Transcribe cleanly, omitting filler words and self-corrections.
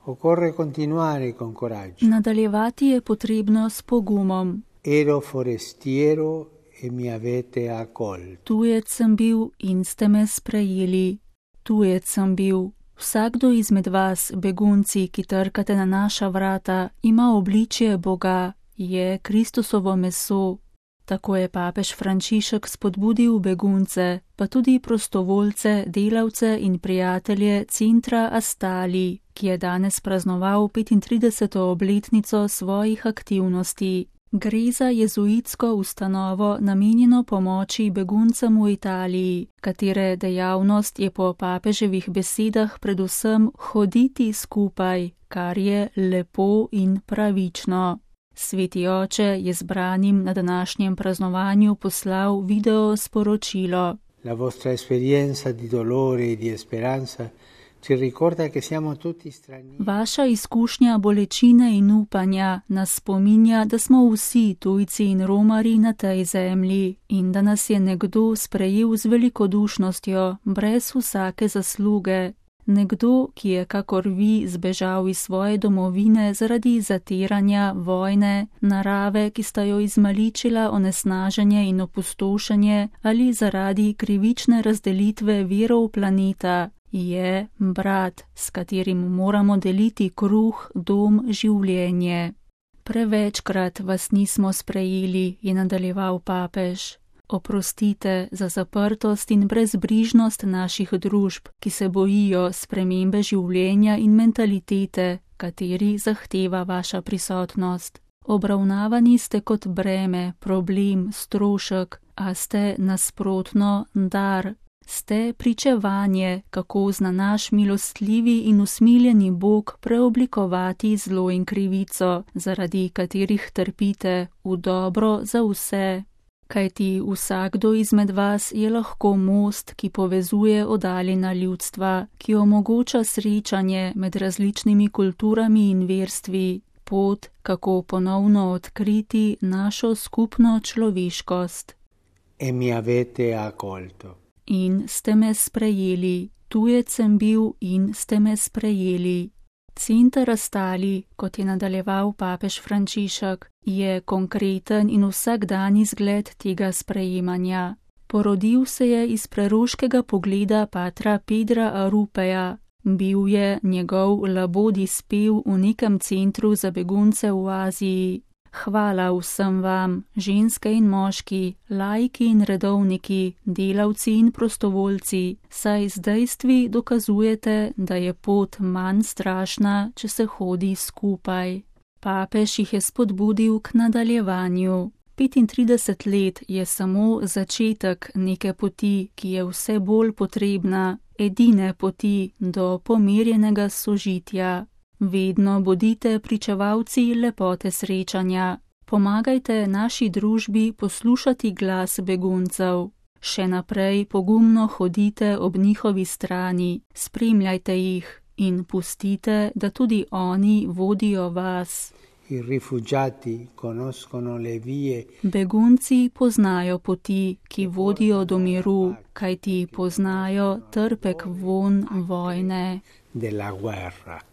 Occorre continuare con coraggio. Nadaljevati je potrebno s pogumom. Ero forestiero e mi avete accolto. Tujec sem bil in ste me sprejeli. Tujec sem bil. Vsakdo izmed vas, begunci, ki trkate na naša vrata, ima obličje Boga, je Kristusovo meso. Tako je papež Frančišek spodbudil begunce, pa tudi prostovoljce, delavce in prijatelje centra Astali, ki je danes praznoval 35. obletnico svojih aktivnosti. Gre za jezuitsko ustanovo namenjeno pomoči beguncem v Italiji, katere dejavnost je po papeževih besedah predvsem hoditi skupaj, kar je lepo in pravično. Sveti oče je zbranim na današnjem praznovanju poslal video sporočilo. La vostra esperienza di dolore e di speranza ci ricorda che siamo tutti stranieri. Vaša izkušnja bolečine in upanja nas spominja, da smo vsi tujci in romarji na tej zemlji in da nas je nekdo sprejel z velikodušnostjo, brez vsake zasluge. Nekdo, ki je kakor vi zbežal iz svoje domovine zaradi zatiranja, vojne, narave, ki sta jo izmaličila onesnaženje in opustošenje ali zaradi krivične razdelitve virov planeta, je brat, s katerim moramo deliti kruh, dom, življenje. Prevečkrat vas nismo sprejeli, je nadaljeval papež. Oprostite za zaprtost in brezbrižnost naših družb, ki se bojijo spremembe življenja in mentalitete, kateri zahteva vaša prisotnost. Obravnavani ste kot breme, problem, strošek, a ste nasprotno dar. Ste pričevanje, kako zna naš milostljivi in usmiljeni Bog preoblikovati zlo in krivico, zaradi katerih trpite, v dobro za vse. Kajti vsakdo izmed vas je lahko most, ki povezuje oddaljena ljudstva, ki omogoča srečanje med različnimi kulturami in verstvi, pot, kako ponovno odkriti našo skupno človeškost. E mi avete accolto. In ste me sprejeli, tujec sem bil in ste me sprejeli. Center Astali, kot je nadaljeval papež Frančišek, je konkreten in vsakdanji zgled tega sprejemanja. Porodil se je iz preroškega pogleda patra Pedra Arupeja. Bil je njegov labodji spev v nekem centru za begunce v Aziji. Hvala vsem vam, ženske in moški, laiki in redovniki, delavci in prostovoljci, saj z dejstvi dokazujete, da je pot manj strašna, če se hodi skupaj. Papež jih je spodbudil k nadaljevanju. 35 let je samo začetek neke poti, ki je vse bolj potrebna, edine poti do pomirjenega sožitja. Vedno bodite pričevalci lepote srečanja. Pomagajte naši družbi poslušati glas beguncev. Še naprej pogumno hodite ob njihovi strani, spremljajte jih in pustite, da tudi oni vodijo vas. I rifugiati conoscono le vie. Begunci poznajo poti, ki vodijo do miru, kajti poznajo trpek vonj vojne. Della guerra.